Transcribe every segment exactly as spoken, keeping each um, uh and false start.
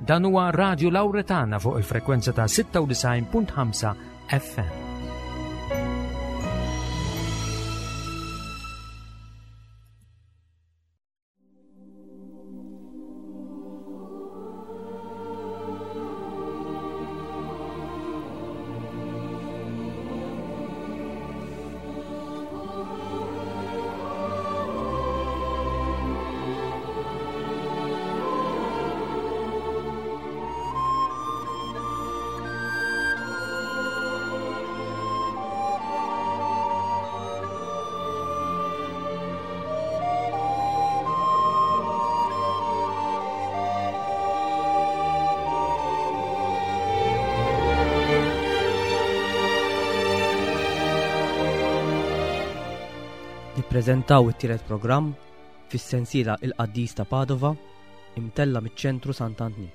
Dan huwa Radio Lauretana fuq il-frekwenza ta' sitta u disgħin punt ħamsa F M. Nippreżentaw it-tielet programm fis-sensiela Il-Qaddis ta' Padova, imtella miċ-Ċentru Sant'Antnin.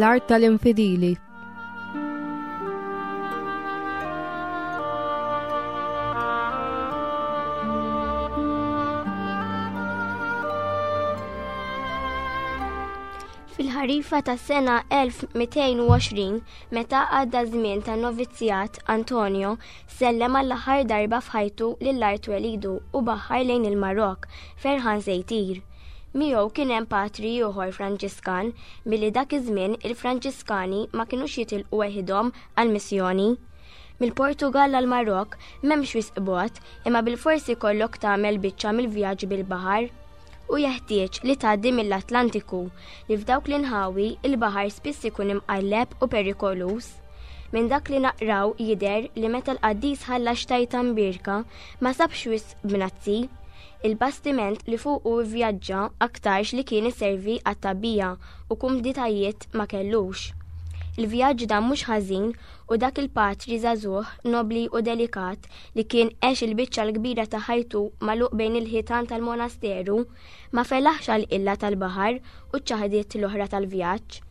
Fl-art tal-infidili. Fil-ħarifa ta' sena elf u mitejn u għoxrin, meta għadda żmien ta' novizzjat, Antonio sellem għall-aħħar darba f'ħajtu lil art twelidu u baħar lejn il-Marok, ferħan se jtir. Miegħu kien hemm patri ieħor Franġiskan, billi dak iż-żmien il-Franġiskani ma kinux jitilqu weħidhom għall-missjoni. Mill-Portugal għal Marok m'hemmx wisq bogħod, imma bil-forsi kollok tagħmel biċċa mill-vjaġġ bil-baħar. U jeħtieġ li tgħaddi mill-Atlantiku, li f'dawk l-inħawi il-baħar spiss ikun imqalleb u perikoluż. Minn dak li naqraw jidher li meta l-qaddis ħalla xtajta mbirka ma sabx wisq bnazzi. Il-bastiment li fuqu vjaġġa aktarx li kien iservi għat-tagħbija u kumditajiet ma kellux. Il-vjaġġ dan mhux ħażin u dak il-patri żagħżugħ, nobli u delikat li kien għex il-biċċa l-kbira ta' ħajtu magħluq bejn il-ħitan tal-monasteru ma felaħx għal illa tal-baħar u ċ-ċaħdiet l-oħra tal-vjaġġ.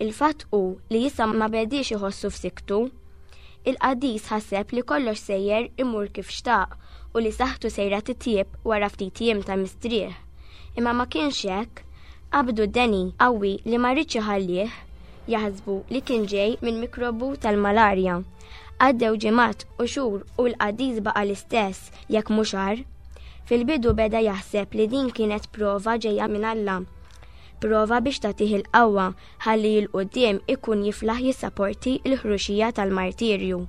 Il-fatt hu li issa ma bediex iħossu f'siktu. Il-qaddis ħaseb li kollox sejjer imur kif xtaq u li saħħtu sejra titjieb wara ftit jiem ta' mistrieħ. Imma ma kienx hekk, qabdu deni qawwi li ma riedx iħallih, jaħsbu li kien ġej minn mikrobu tal-malarja. Għaddew ġimgħat u xhur u l-qaddis baqa' l-istess, jekk mhux agħar. Fil-bidu beda jaħseb li din kienet prova ġejja minn Alla. Prova biex tagħtih il-qawwa ħalli 'l quddiem ikun jiflaħ jissaporti l-ħruxija tal-martirju.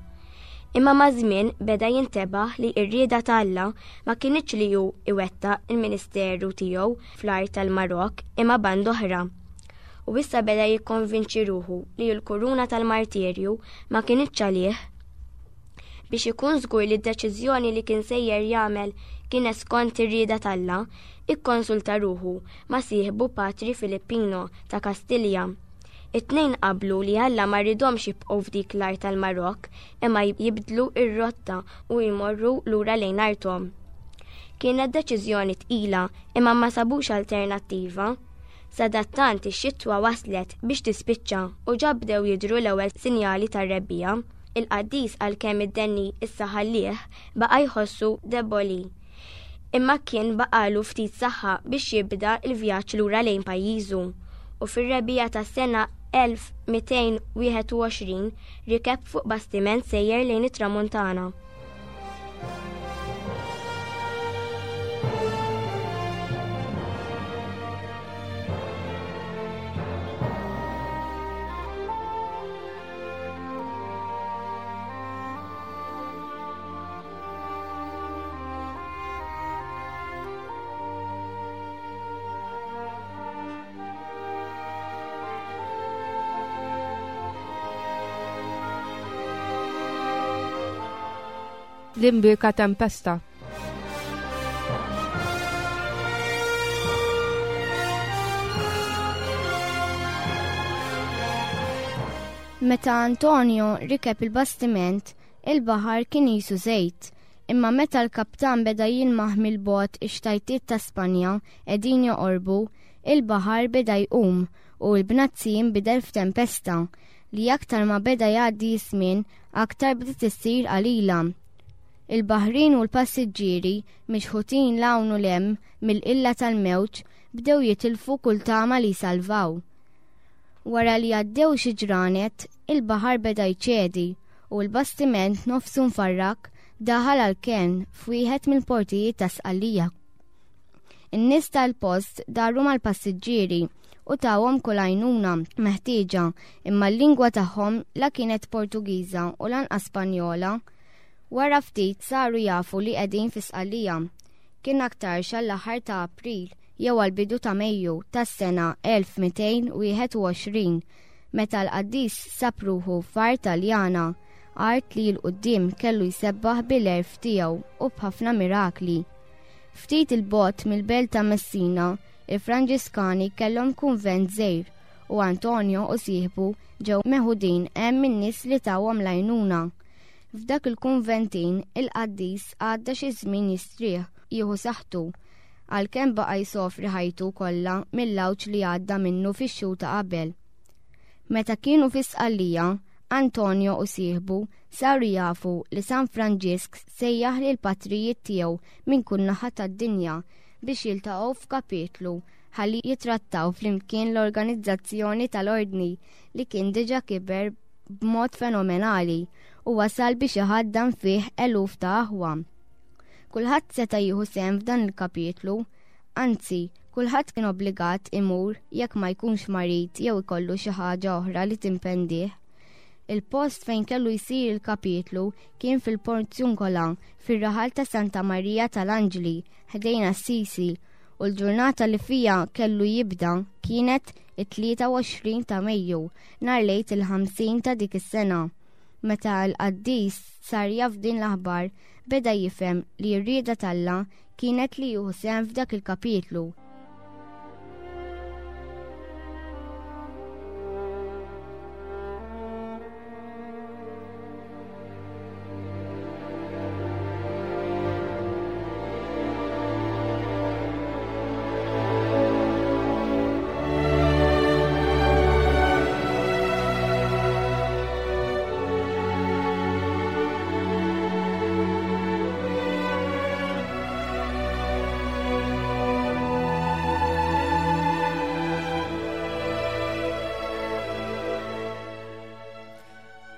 Imma maż-żmien beda jintebaħ li r-rieda ta' Alla ma kinitx li hu iwettaq il-ministeru tiegħu fl-art tal-Marok, imma band oħra. U issa beda jikkonvinċi ruħu li l-kuruna tal-martirju ma kinitx għalih. Biex ikun żgur li d-deċiżjoni li kien sejjer jagħmel kienet skont ir-rieda t'Alla, ikkonsulta ruħu ma' sieħbu Patri Filippino ta' Kastilja. It-tnejn qablu li Alla ma ridomx jibqgħu f'dik l-art tal-Marok, imma jibdlu ir-rotta u jmorru lura lejn arthom. Kienet deċiżjoni tqila, imma ma sabux alternattiva. Sadattant ix-xitwa waslet biex tispiċċa u ġa bdew jidhru l-ewwel sinjali tar-rebbiegħa. Il-qaddis, għalkemm id-deni issa ħallih, baqa' jħossu deboli. Imma kien baqalu ftit saħħa biex jibda il-vjaġġ lura lejn pajjiżu. U fir-rebbiegħa tas-sena elf u mitejn u wieħed u għoxrin rikeb fuq bastiment sejjer lejn it-Tramuntana. L-imbierka tempesta. Meta Antonio rikeb il-bastiment, il-baħar kien qisu żejt, imma meta l-kaptan beda jilmaħ mill-bogħod ix-xtajtiet ta' Spanja qegħdin joqorbu, il-baħar beda jqum u l-bnazzi jinbidel f'tempesta li aktar ma beda jgħaddi żmien aktar bdiet issir qalila. Il-baħrin u l-passiġġieri mixħutin 'l hawn u 'l hemm mill-qilla tal-mewġ bdew jitilfu kull tama li jsalvaw. Wara li għaddew xi ġranet, il-baħar beda jċedi u l-bastiment nofsu mfarrak daħal għal kenn f'wieħed mill-portijiet ta' Sqallija. In-nies tal-post daru mal-passiġġieri u tawhom kull għajnuna meħtieġa, imma l-lingwa tagħhom la kienet Portugiża u lanqas Spanjola. Wara ftit saru jafu li qegħdin fi Sqallija. Kien aktarx għall-aħħar ta' April jew għall-bidu ta' Mejju tas-sena elf mitejn wieħed u għoxrin, meta l-qaddis sab ruħu f'art Taljana, art li l-quddiem kellu jsebbaħ bil-għerf tiegħu u b'ħafna mirakli. Ftit il-bogħod mill-belt ta' Messina, il-Franġiskani kellhom kunvent żgħir u Antonio u sieħbu ġew meħudin hemm min-nies li tawhom l-għajnuna. F'dak il-kunventin il-qaddis għadda xi żmien jistrieħ jieħu saħħtu, għalkemm baqa' jsofri ħajtu kollha mill-għawġ li għadda minnu fix-xhur ta' qabel. Meta kienu fi Sqallija, Antonio u sieħbu saru jafu li San Franġisk sejjaħ lil patrijiet tiegħu minn kull naħa tad-dinja biex jiltaqgħu f'kapitlu ħalli jitrattaw flimkien l-organizzazzjoni tal-ordni li kien diġà kiber b'mod fenomenali u wasal biex iħaddan fih eluf ta' aħwa. Kulħadd seta' jieħu sehem f'dan il-kapitlu, anzi, kulħadd kien obbligat imur jekk ma jkunx marid jew ikollu xi ħaġa oħra li timpendih. Il-post fejn kellu jsir il-kapitlu kien fil-Porziuncola, fir-raħal ta' Santa Marija tal-Anġli, ħdejn Assisi, u l-ġurnata li fija kellu jibda kienet it-tlieta u għoxrin ta' Mejju, nhar lejt il-ħamsin ta' dik is-sena. Meta l-qaddis sar jaf din l-aħbar, beda jifhem li r-rieda t'Alla kienet li jieħu sehem f'dak il-kapitlu.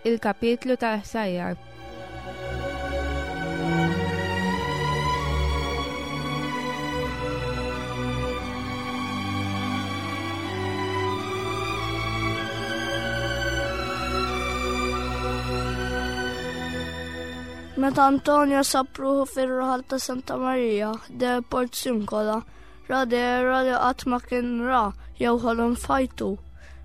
Il-kapitlu tal-ħsajjar. Meta Antonio sab ruħu fir-raħal ta' Santa Maria de Porziuncola, ra dehra li qatt ma kien ra jew ħolom fajtu.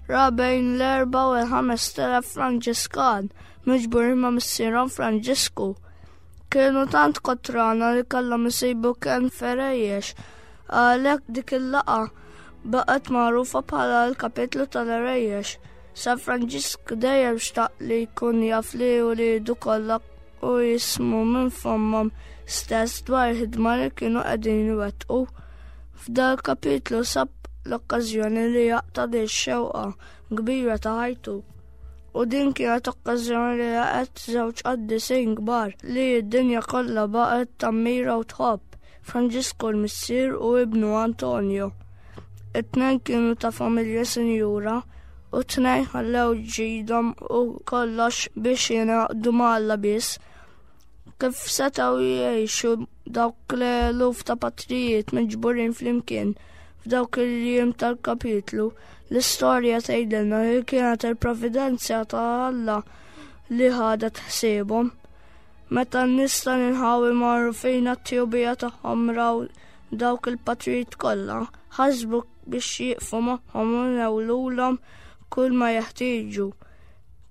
Ra bejn l-erba' u l-ħames telef Franġiskan miġburin ma' missierhom Franġisku. Kienu tant kotrana li kellhom isibu kenn ferejjex, għalhekk dik il-laqgħa baqgħet magħrufa bħala l-kapitlu tal-erejjex. San Franġisk dejjem xtaq li jkun jaf li uliedu kollha u jismu minn fommhom stess dwar il-ħidma li kienu qegħdin iwettqu. F'dal kapitlu sab l-okkażjoni li jaqta' din x-xewqa kbira ta' ħajtu. U din kienet okkażjoni li laqgħet żewġ qaddisin kbar li d-dinja kollha baqgħet tammira u tħobb, Franġisku l-missier u ibnu Antonio. It-tnejn kienu ta' familja sinjura u t-tnejn ħallew ġidhom u kollox biex jingħaqdu ma' Alla biss. Kif setgħu jgħixu dawk l-eluf ta' patrijiet miġburin flimkien f'dawk il-jiem tal-kapitlu, l-istorja tgħidilna li kienet il-providenza ta' Alla li ħadet ħsiebhom. Meta n-nies tal-inħawi marru fejn għat-tjubija tagħhom raw dawk il-patrijiet kollha, ħasbu biex jieqfu magħhom u newlulhom kull ma jeħtieġu.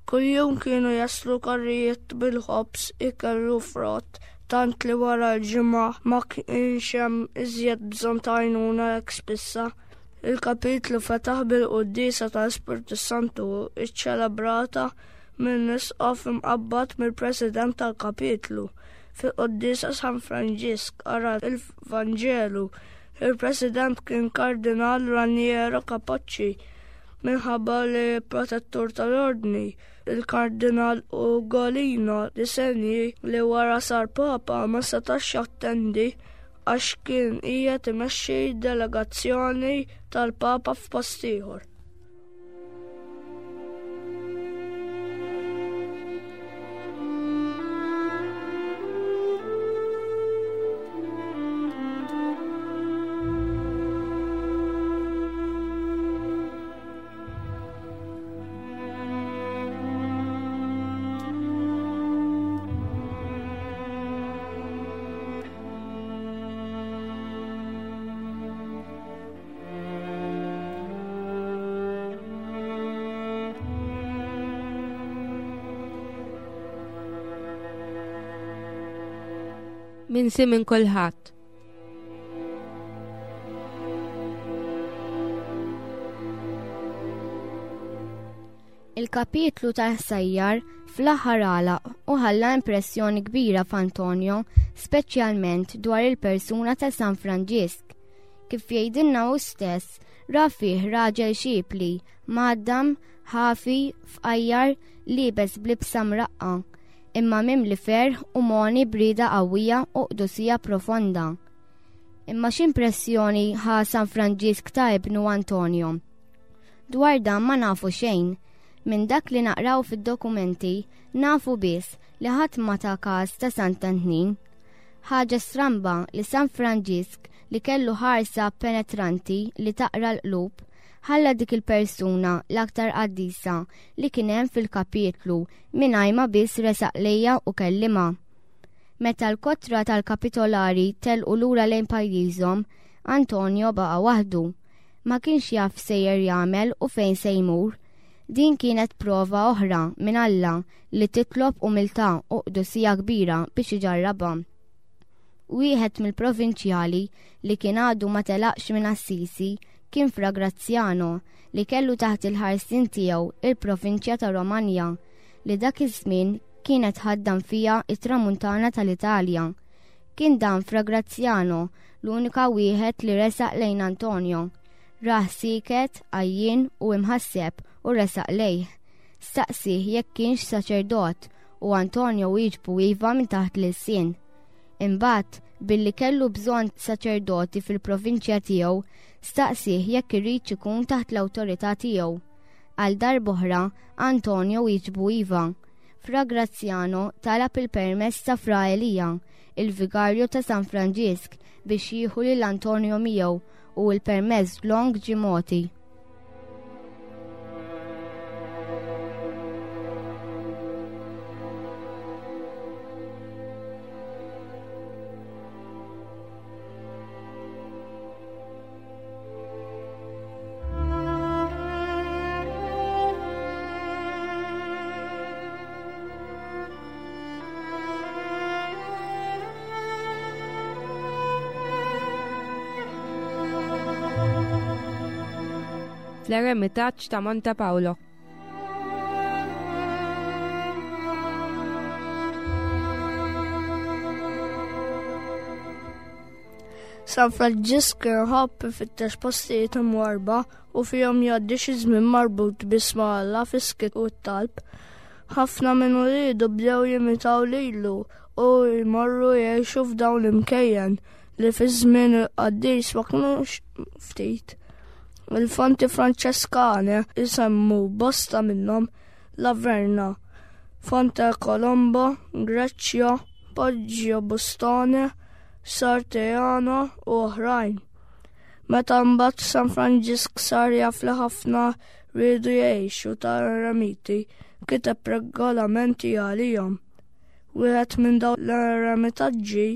Kuljum kienu jaslu karrijiet bil-ħobż, ikel u frott tant li wara l-ġimgħa ma kienx hemm iżjed bżonn ta' għajnuna hekk spissa. Il-kapitlu fetaħ bil-quddiesa tal-Ispirtu Santu iċċelebrata minn isqof imqabbad mill-President tal-kapitlu. Fil-quddiesa San Franġisk qara il-Vanġelu. Il-President kien Kardinal Raniero Capocci minħabba li protettur tal-ordni. Il-Kardinal Ugolino di Segni li wara sar Papa ma setax jattendi għax kien qiegħed imexxi delegazzjoni tal-Papa f'post ieħor. Minsi minn kulħadd. Il-kapitlu tal-ħsajjar fl-aħħar għalaq u ħalla impressjoni kbira f'Antonio, speċjalment dwar il-persuna ta' San Franġisk. Kif jgħidilna hu stess, ra fih raġel xipli, mgħaddam, ħafi, fqajjar, liebes b'libsa mraqqa, imma mimli ferħ u moni brida qawwija u qdusija profonda. Imma x'impressjoni ħa San Franġisk ta' ibnu Antonio? Dwar dan ma nafu xejn. Minn dak li naqraw fid-dokumenti nafu biss li ħadd ma ta każ ta' Sant'Antnin. Ħaġa stramba li San Franġisk li kellu ħarsa penetranti li taqra l-qlub ħalla dik il-persuna l-aktar qaddisa li kien hemm fil-kapitlu mingħajr ma biss resaq lejha u kellimha. Meta l-kotra tal-kapitolari telqu lura lejn pajjiżhom, Antonio baqa' waħdu. Ma kienx jaf sejjer jagħmel u fejn se jmur. Din kienet prova oħra minn Alla li titlob umiltà u qdusija kbira biex iġarrabha. Wieħed mill-provinċjali li kien għadu ma telaqx minn Assisi kien Fra Graziano li kellu taħt il-ħarsien tiegħu il-provinċja ta' Romagna li dak iż-żmien kienet ħaddam fiha it-tramuntana tal-Italja. Kien dan Fra Graziano l-unika wieħed li resaq lejn Antonio. Rah siket, għajjien u imħasseb u resaq lejh. Staqsih jekk kienx saċerdot u Antonio wieġbu iva minn taħt l-ilsien. Imbagħad, billi kellu bżonn saċerdoti fil-provinċja tiegħu, staqsih jekk irid ikun taħt l-awtorità tiegħu. Għal darb'oħra, Antonio wieġbu iva. Fra Graziano talab il-permess ta' Fra Elija, il-vigarju ta' San Franġisk, biex jieħu lil Antonio miegħu u l-permess long ġie mogħti. Fl-eremitaġġ ta' Monte Paolo. San Franġisk kien iħobb ifittex postijiet imwarba u fihom jgħaddi xi żmien marbut biss ma' Alla fis-skiet u t-talb. Ħafna minn uliedu bdew jimitaw lilu u jmorru jgħixu f'dawn l-imkejjen li fi żmien il-qaddis ma kinux ftit. Il-fonti Franċeskane isemmu bosta minnhom La Verna, Fonte Colombo, Greċja, Poggio Bustone, Sarteano u oħrajn. Meta mbagħad San Franġisk sar jaf li ħafna riedu jgħixu ta' eremiti, kiteb regolamenti għalihom. Wieħed minn dawn l-eremitaġġi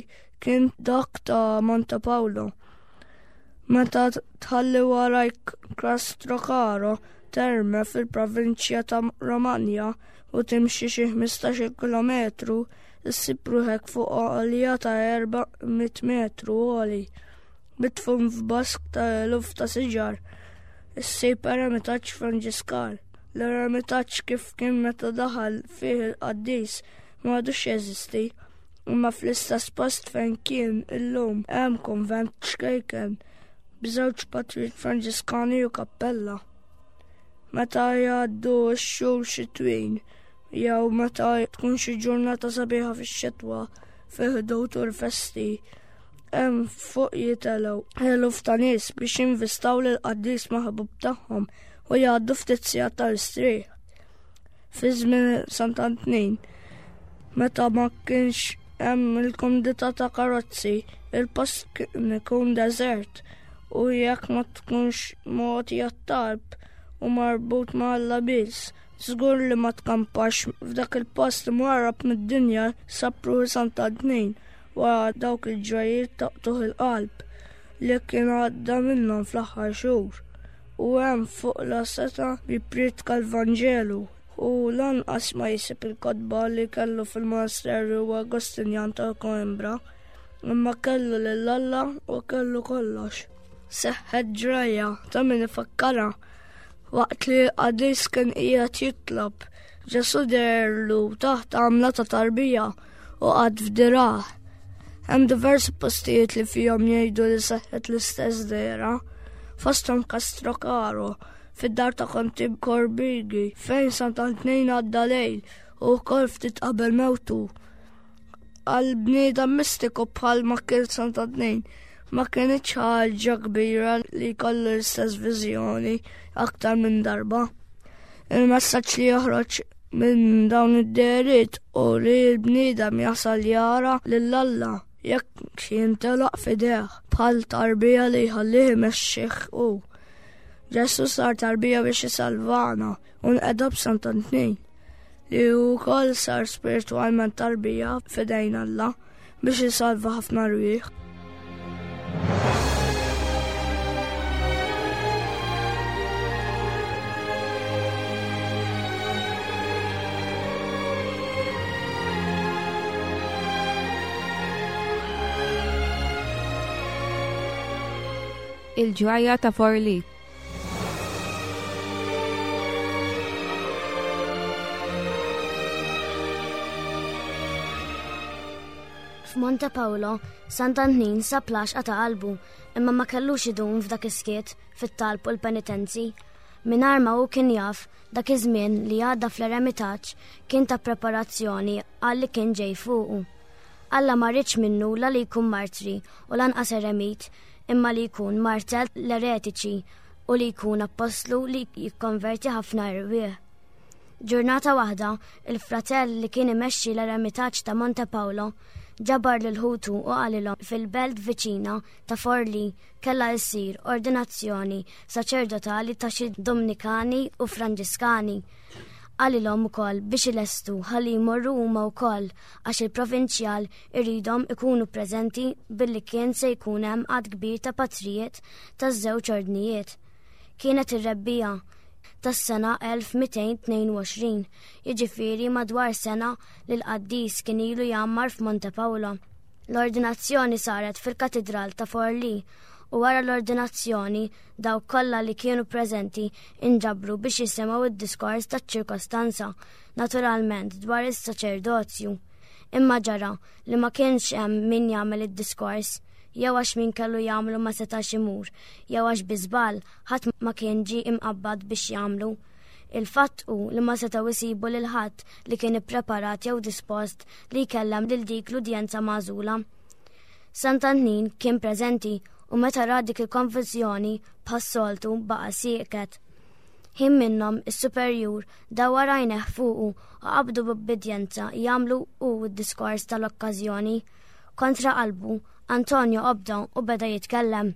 kien dak ta' Monte Paolo. Meta tħalli warajk Castrocaro Terme fil-provinċja ta' Romagna u timxi xi ħmistax-il kilometru issib ruħek fuq għolja ta' erba' mitt metru għoli, mitfun f'bosk ta' eluf ta' siġar. Issib eremitaġġ Franġiskan. L-eremitaġġ kif kien meta daħal fih il-qaddis ma għadux jeżisti, imma fl-istess post fejn kien illum hemm kunvent ċkejken b'żewġ patrijiet Franġiskani u kappella. Meta jgħaddu x-xhur xitwin jew meta tkun xi ġurnata sabiħa fix-xitwa fi ħdud u l-festi, hemm fuq jitelgħu eluf ta' nies biex jinvistaw lill-qaddis maħbub tagħhom u jgħaddu ftit sigħat tal-istrieħ. Fi żmien Sant'Antnin, meta ma kienx hemm il-kumdità ta' karozzi, il-post kien ikun deżert u jekk ma tkunx mogħti għat-talb u marbut ma' Alla biss, żgur li ma tkampax f'dak il-post imwarrab mid-dinja sab ruħu Sant'Antnin wara dawk il-ġrajiet taqtuħ il-qalb li kien għadda minnhom fl-aħħar xhur. U hemm fuq la seta jippriedka l-Vanġelu u lanqas ma jsib il-kotba li kellu fil-monasteru Agostinjan ta' Coimbra, imma kellu lil Alla u kellu kollox. Seħħet ġrajja ta' min ifakkarha waqt li l-qaddis kien qiegħed jitlob, Ġesù deherlu taħt għamla ta' tarbija u qagħad f'dirah. Hemm diversi postijiet li fihom jgħidu li seħħet l-istess dehra, fosthom Castrocaro, fid-dar ta' Konti Corbighi, fejn Sant'Antnin għadda lejl u wkoll ftit qabel mewtu. Għal bniedem mistiku bħal ma kien Sant'Antnin, ma kienx ħaġa kbira li jkollu l-istess viżjoni aktar minn darba. Il-messaġġ li joħroġ minn dawn id-dehriet u li l-bniedem jasal jara lil Alla jekk jintelaq f'idejh bħal tarbija li jħallih imexxih hu. Ġesù sar tarbija biex isalvana u nqeda b'Sant'Antnin, li hu wkoll sar spiritwalment tarbija f'idejn Alla biex isalva ħafna rwieħ. Il-ġrajja ta' Forlì. F'Monte Paolo, Sant'Antnin sab l-għaxqa ta' qalbu, imma ma kellux idum f'dak is-skiet, fit-talb u l-penitenzi. Mingħajr ma hu kien jaf, dak iż-żmien li għadda fl-eremitaġġ kien ta' preparazzjoni għal li kien ġej fuqu. Alla ma riedx minnu la li jkun martri u lanqas eremit, imma li jkun martel l-eretiċi u li jkun apostlu li jikkonverti ħafna erwieħ. Ġurnata waħda, il-fratell li kien imexxi l-eremitaġġ ta' Monte Paolo ġabar lil ħutu u qalilhom fil-belt viċina ta' Forlì kellha ssir ordinazzjoni saċerdotali ta' xi Dominikani u Franġiskani. Qalilhom ukoll biex ilestu ħalli jmorru huma wkoll għax il-provinċjal iridhom ikunu preżenti billi kien se jkun hemm għadd kbir ta' patrijiet taż-żewġ ordnijiet. Kienet ir-rebbiegħa tas-sena elf mitejn tnejn u għoxrin, jiġifieri madwar sena li l-qaddis kien ilu jgħammar f'Monte Paolo. L-ordinazzjoni saret fil-Katidral ta' Forlì u wara l-ordinazzjoni dawk kollha li kienu preżenti inġabru biex jisimgħu id-diskors taċ-ċirkostanza, naturalment dwar is-saċerdozju. Imma ġara li ma kienx hemm min jagħmel id-diskors, jew għax min kellu jagħmlu ma setax imur, jew għax bi żball ħadd ma kien ġie imqabbad biex jagħmlu. Il-fatt hu li ma setgħu jsibu lil ħadd li kien ippreparat jew dispost li jkellem lil dik l-udjenza magħżula. Sant'Antnin kien preżenti u meta ra dik il-konfużjoni bħas-soltu baqa' sieket. Ħin minnhom is-superjur dawwar għajnejh fuqu u qabdu b'ubbidjenza jagħmlu hu d-diskors tal-okkażjoni. Kontra qalbu, Antonio obda u beda jitkellem.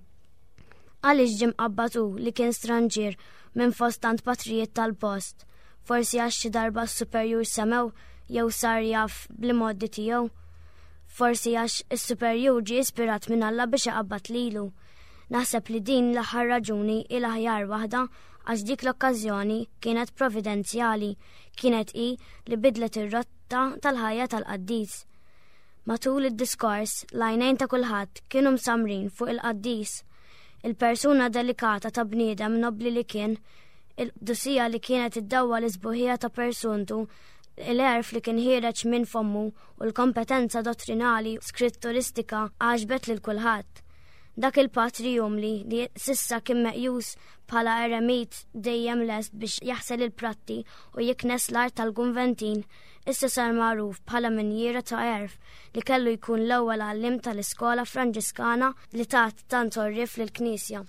Għaliex ġie mqabbad hu li kien stranġier minn fost tant patrijiet tal-post, forsi għax xi darba s-superjur semew jew sar jaf bl-imgħoddi tiegħu. Forsi għax is-superjur ġie ispirat minn Alla biex iqabbad lilu. Naħseb li din l-aħħar raġuni hi l-aħjar waħda għax dik l-okkażjoni kienet providenzjali, kienet hi li bidlet ir-rotta tal-ħajja tal-qaddis. Matul id-diskors, l-għajnejn ta' kulħadd kienu msamrin fuq il-qaddis. Il-persuna delikata ta' bniedem nobli li kien, il-qdusija li kienet iddawwa l-isbuħija ta' persuntu, l-għerf li kien ħiereġ minn fommu u l-kompetenza dottrinali skritturistika għaġbet lil kulħadd. Dak il-patri umli li sissa kien meqjus bħala eremit dejjem lest biex jaħsel il-pratti u jiknes l-art tal-Gunventin, issa sar magħruf bħala minjiera ta' għerf li kellu jkun l-ewwel għallim tal-iskola Franġiskana li tat tant għorrief lill-Knisja.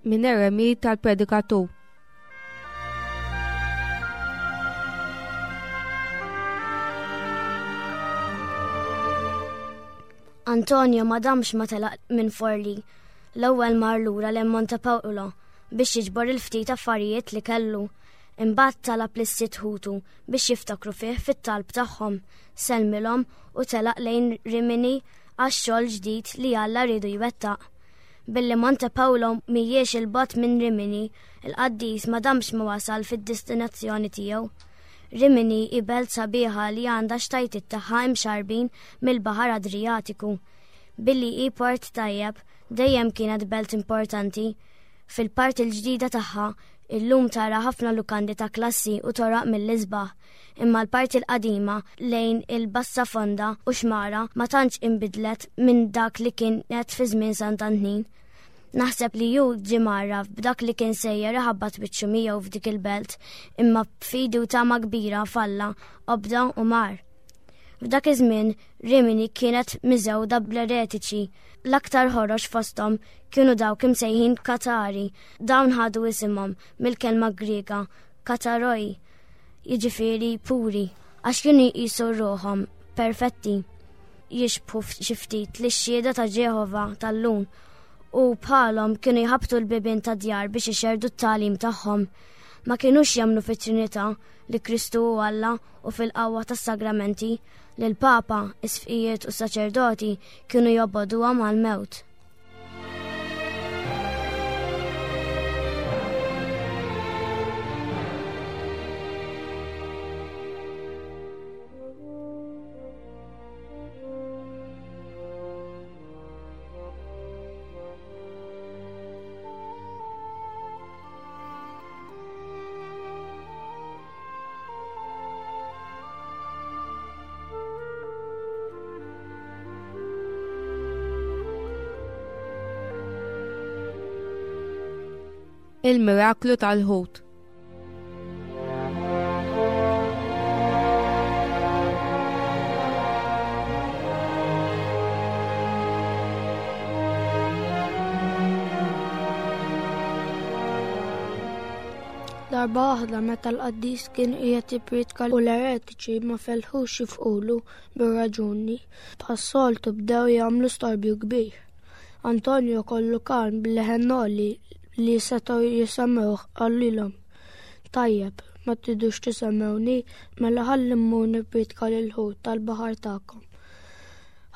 Minn eremit tal-predikatur. Antonio ma damx ma telaq minn Forli. L-ewwel mar lura lejn Monte Paolo biex jiġbor il-ftit affarijiet li kellu. Imbagħad talab lis-sitt ħutu biex jiftakru fih fit-talb tagħhom, sellmilhom u telaq lejn Rimini għax-xogħol ġdid li Alla riedu jwettaq. Billi Monte Paolo mhijiex il-bogħod minn Rimini, il-qaddis ma damx ma wasal fid-destinazzjoni tiegħu. Rimini hi belt sabiħa li għandha xtajtiet tagħha imxarbin mill-Baħar Adriatiku. Billi hi port tajjeb, dejjem kienet belt importanti. Fil-parti l-ġdida tagħha, illum tara ħafna lukandi ta' klassi u toraq mill-isbaħ, imma l-parti l-qadima lejn il-Bassa Fonda u xmara ma tantx inbidlet minn dak li kienet fi żmien Sant'Antnin. Naħseb li hu ġie mgħarraf b'dak li kien sejjer iħabbat wiċċu miegħu f'dik il-belt, imma b'fidi u tama kbira falla, obda u mar. F'dak iż-żmien Rimini kienet miżewda bl-eretiċi. L-aktar ħorox fosthom kienu dawk imsejħin Katari. Dawn ħadu isimhom mill-kelma Griega kataroi, jiġifieri puri, għax kienu jqisu ruħhom perfetti. Jixbħu xi ftit lix-xhieda ta' Ġeħova tal-lum u bħalhom kienu jħabtu l-bibien ta' djar biex ixerrdu t-tagħlim tagħhom. Ma kinux jemmnu fit-Trinità li Kristu hu Alla u fil-qawwa tas-sagramenti li l-Papa, isqfijiet u saċerdoti kienu jobogħduha mal-mewt. Il-miraklu tal-ħut. Darba waħda meta l-qaddis kien qiegħed jippriedka u l-eretiċi ma felħux jifqulu bir-raġuni, bħas-soltu bdew jagħmlu storbju kbir. Antonio kollu kalm b'leħen għoli li setgħu jisemgħuh qalilhom: Tajjeb, ma tridux tisemgħuni, mela ħalli mmur nippriedka lil-ħut tal-baħar tagħkom.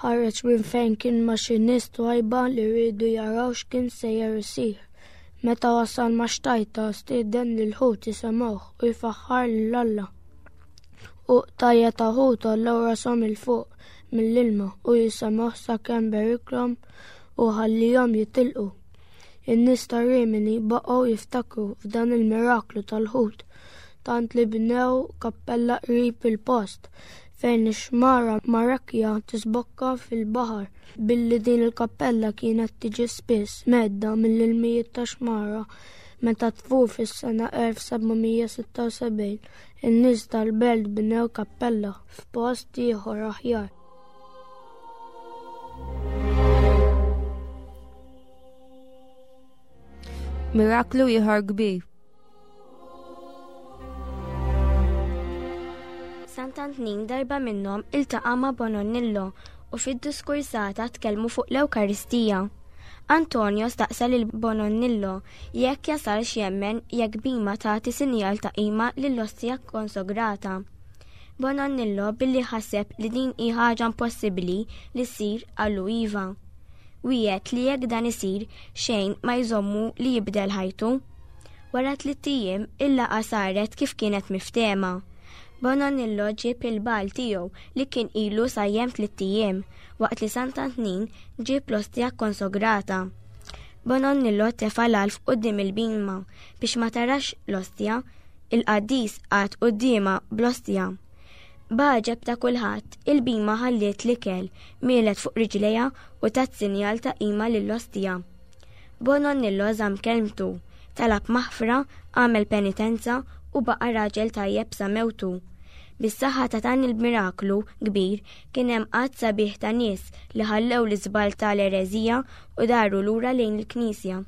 Ħareġ minn fejn kien ma' xi nies twajba li riedu jaraw x'kien sejjer isir. Meta wasal ma' xtajta stieden lil-ħut jisemgħuh u jfaħħar lil Alla. U qtajja ta' ħut għollew rashom 'il fuq mill-ilma u jisemgħuh sakemm beriklhom u ħallihom jitilqu. In-nies ta' Rimini baqgħu jiftakru f'dan il-miraklu tal-ħut, tant li bnew kappella qrib il-post fejn ix-xmara Marekja tisbokka fil-baħar. Billi din il-kappella kienet tiġi spiss medda mill-ilmijiet ta' xmara meta tfur fis-sena elf seba' mija sitta u sebgħin, in-nies tal-belt bnew kappella f'post ieħor aħjar. Miraklu ieħor kbir. Sant'Antnin darba minnhom iltaqa' ma' Bononnillo u fid-diskursata tkellmu fuq l-Ewkaristija. Antonio staqsa lil Bononnillo jekk jasalx jemmen jekk bima tagħti sinjal ta' qima lill-ostja konsograta. Bonannillo billi ħaseb li din hi ħaġa impossibbli li ssir qallu iva. Wiegħed li jekk dan isir xejn ma jżommu li jibdel ħajtu. Wara tliet ijiem il-laqgħa saret kif kienet miftehma. Bonannillo ġieb il-bagħal tiegħu li kien ilu sajjem tliet ijiem waqt li Sant'Antnin ġieb l-ostja kkonsagrata. Bonannillo tefa' l-għalf quddiem il-bhima biex ma tarax l-ostja, il-qaddis qagħad quddiemha bl-ostja. B'għaġeb ta' kulħadd, il-bhima ħalliet l-ikel, mielet fuq riġlejha u tat sinjal ta' qima lill-ostja. Bonannillo żamm kelmtu, talab maħfra, għamel penitenza u baqa' raġel tajjeb sa mewtu. Bis-saħħa ta' dan il-miraklu kbir kien hemm għadd sabiħ ta' nies li ħallew l-iżbal tal-ereżija u daru lura lejn il-Knisja.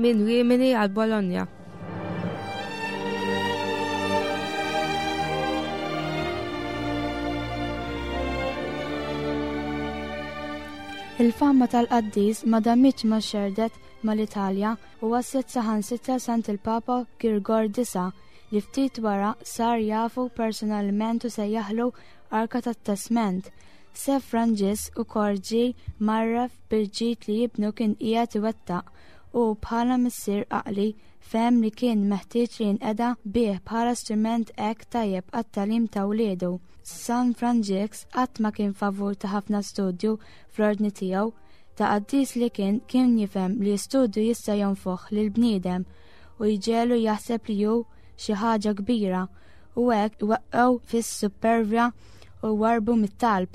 Minn Rimini għal Bologna. Il-fama tal-qaddis ma damitx ma xerdet mal-Italja u waslet saħansitra sant il-Papa Girgor disa' li ftit wara sar jafu personalment u sejjaħlu Arka tat-Testament. Se Franġisk ukoll ġie mgħarraf bil-ġid li jibnu kien qiegħed iwettaq u bħala missier għaqli fehem li kien meħtieġ li jinqeda bih bħala strument hekk tajjeb għat-tagħlim ta' wliedu. San Franġisk qatt ma kien favur ta' ħafna studju fl-ordni tiegħu. Ta' qaddis li kien kien jifhem li studju jista' jonfoħ lil bniedem u jġelu jaħseb li hu xi ħaġa kbira u hekk iweqqgħu fis-supervja u warbu mit-talb.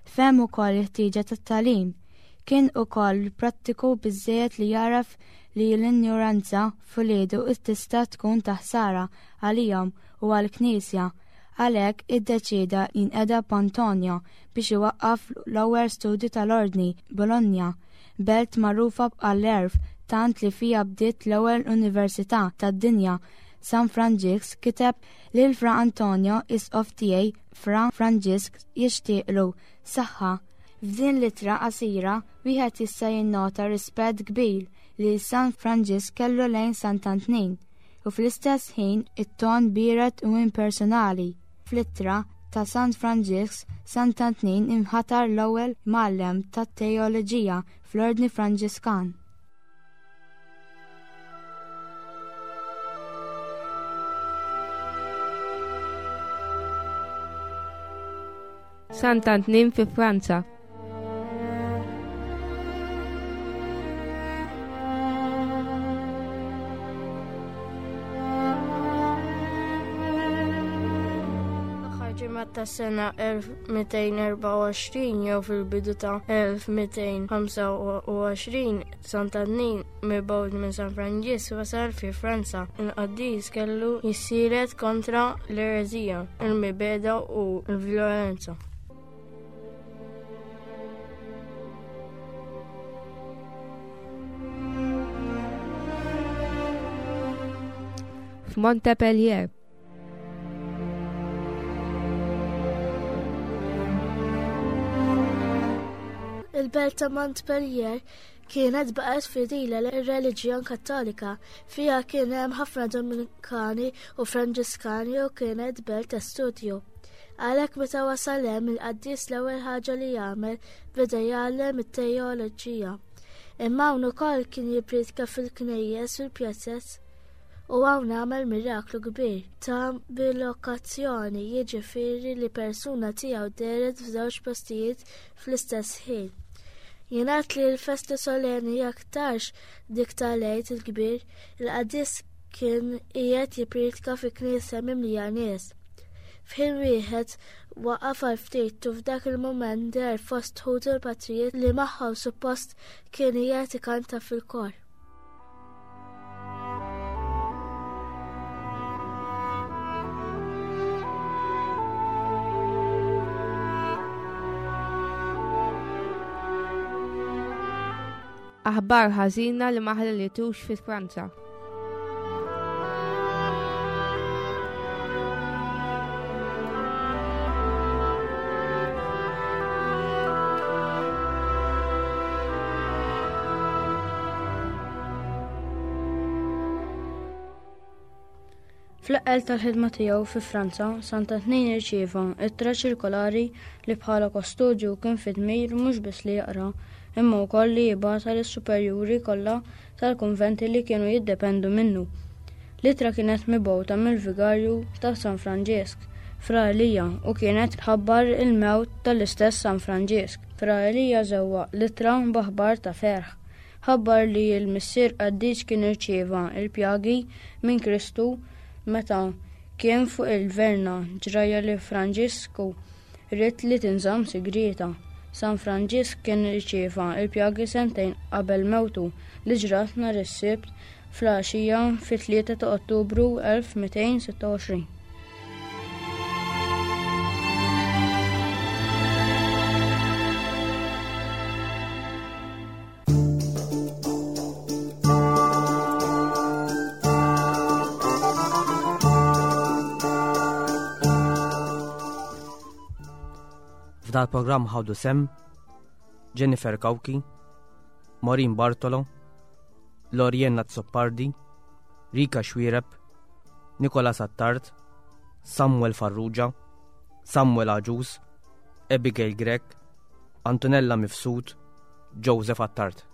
Fehem ukoll il-ħtieġa tat-tagħlim. Kien ukoll prattiku biżżejjed li jaraf li l-injoranza f'uliedu tista' tkun ta' ħsara għalihom u għall-Knisja. Għalhekk iddeċieda jinqeda b'Antonio biex iwaqqaf l-ewwel studju tal-Ordni Bologna, belt magħrufa għall-għerf tant li fiha bdiet l-ewwel università tad-dinja. San Franġisk kiteb lil Fra Antonio isqof tiegħi Fra Franġisk jixtieqlu saħħa. F'din l-ittra qasira wieħed jista' jinnota rispett kbir li San Franġisk kellu lejn Sant'Antnin u fl-istess ħin it-ton biered u impersonali. Fl-ittra ta' San Franġisk, Sant'Antnin imħatar l-ewwel mgħallem tat-teoloġija fl-Ordni Franġiskan. Sant'Antnin fi Franza. Ta' sena elf mitejn erbgħa u għoxrin jew fil-bidu ta' elf mitejn ħamsa u għoxrin Sant'Antnin mibgħut minn San Franġisk wasal fi Franza. Il-qaddis kellu jissielet kontra l-ereżija, il-mibegħda u l-vjolenza. F'Montpellier. Il-belt ta' Montpellier kienet baqgħet fidila lir-reliġjon Kattolika. Fiha kien hemm ħafna Dominikani u Franġiskani u kienet belt ta' studju. Għalhekk meta wasal hemm il-qaddis l-ewwel ħaġa li jagħmel beda jgħallem it-teoloġija. Imma hawn ukoll kien jippriedka fil-knejjes u l-pjazez u hawn għamel miraklu kbir ta' bilokazzjoni, jiġifieri li persuna tiegħu dehret f'żewġ postijiet fl-istess ħin. Jingħad li l-festa solenni aktarx dik tal-Għid il-Kbir, il-qaddis kien qiegħed jippriedka fi knisja mimlija nies. F'ħin wieħed waqaf għal ftit u f'dak il-mument deher fost ħutu l-patrijiet li magħhom suppost kien qiegħed ikanta fil-kor. Aħbar ħażina li ma ħallitux fi Franza. Fl-eqqel tal-ħidma tiegħu fi Franza, Sant'Antnin irċieva ittra ċirkolari li bħala kostodju kien fi dmir mhux biss li jaqra, imma wkoll li jibgħatha lis-superjuri kollha tal-kunventi li kienu jiddependu minnu. L-ittra kienet mibgħuta mill-vigarju ta' San Franġisk, Fra Elija, u kienet tħabbar il-mewt tal-istess San Franġisk. Fra Elija żewwaq l-ittra b'aħbar ta' ferħ. Ħabbar li l-missier qaddis kien irċieva l-pjagi minn Kristu meta kien fuq il-Verna, ġrajja li Franġisku ried li tinżamm sigrieta. San Franġisk kien irċieva l-pjagi sentejn qabel mewtu li ġrat nhar is-Sibt fl-għaxija fit-tlieta ta' Ottubru elf mitejn sitta u għoxrin. F'dal programm ħadu sem Jennifer Cauchi, Maureen Bartolo, Lorienna Azzopardi, Rika Xuereb, Nicola Sattard, Samuel Farrugia, Samuel Agius, Abigail Grech, Antonella Mifsud, Joseph Attard.